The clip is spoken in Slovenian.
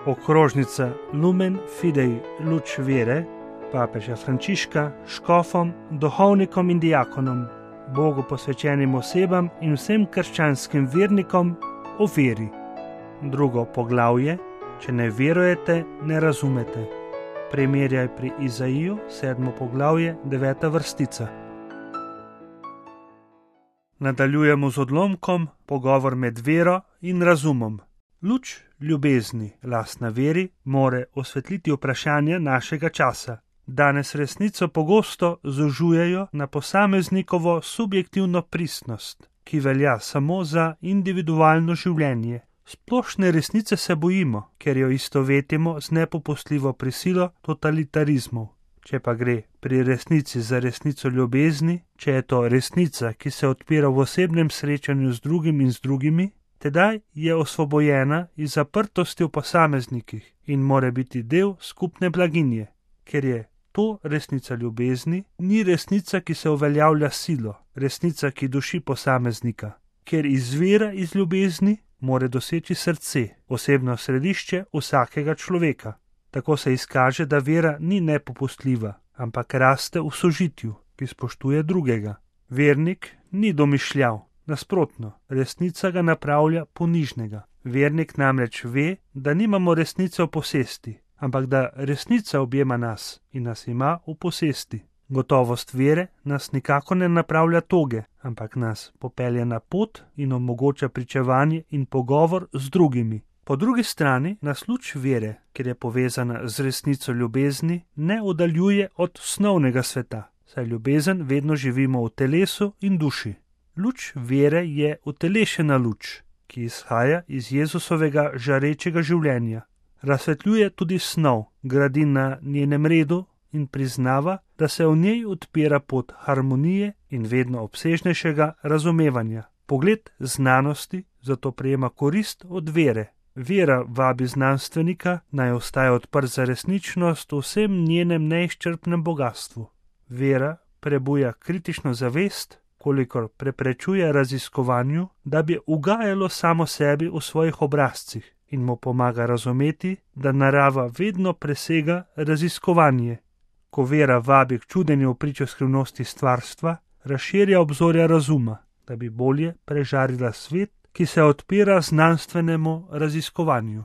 okrožnica Lumen Fidei luč vere papeža Frančiška škofom, duhovnikom in diakonom, Bogu posvečenim osebam in vsem krščanskim vernikom o veri. Drugo poglavje: če ne verujete, ne razumete. Primerjaj pri Izaiju, 7. poglavje, 9. vrstica. Nadaljujemo z odlomkom pogovor med vero in razumom. Luč ljubezni, lastna veri, more osvetliti vprašanja našega časa. Danes resnico pogosto zožujejo na posameznikovo subjektivno pristnost, ki velja samo za individualno življenje. Splošne resnice se bojimo, ker jo istovetimo z nepopustljivo prisilo totalitarizmov. Če pa gre pri resnici za resnico ljubezni, če je to resnica, ki se odpira v osebnem srečanju z drugim in z drugimi, tedaj je osvobojena iz zaprtosti v posameznikih in more biti del skupne blaginje. Ker je to resnica ljubezni, ni resnica, ki se uveljavlja silo, resnica, ki duši posameznika. Ker izvira iz ljubezni, more doseči srce, osebno središče vsakega človeka. Tako se izkaže, da vera ni nepopustljiva, ampak raste v sožitju, ki spoštuje drugega. Vernik ni domišljav, nasprotno, resnica ga napravlja ponižnega. Vernik namreč ve, da nimamo resnice v posesti, ampak da resnica objema nas in nas ima v posesti. Gotovost vere nas nikako ne napravlja toge, ampak nas popelje na pot in omogoča pričevanje in pogovor z drugimi. Po drugi strani nas luč vere, ker je povezana z resnico ljubezni, ne oddaljuje od snovnega sveta, saj ljubezen vedno živimo v telesu in duši. Luč vere je utelešena luč, ki izhaja iz Jezusovega žarečega življenja. Razsvetljuje tudi snov, gradi na njenem redu in priznava, da se v njej odpira pot harmonije in vedno obsežnejšega razumevanja. Pogled znanosti zato prejema korist od vere. Vera vabi znanstvenika, naj ostaja odprt za resničnost v vsem njenem neizčrpnem bogatstvu. Vera prebuja kritično zavest, kolikor preprečuje raziskovanju, da bi ugajalo samo sebi v svojih obrazcih in mu pomaga razumeti, da narava vedno presega raziskovanje. Ko vera vabi k čudenju v pričo skrivnosti stvarstva, razširja obzorja razuma, da bi bolje prežarila svet, ki se odpira znanstvenemu raziskovanju.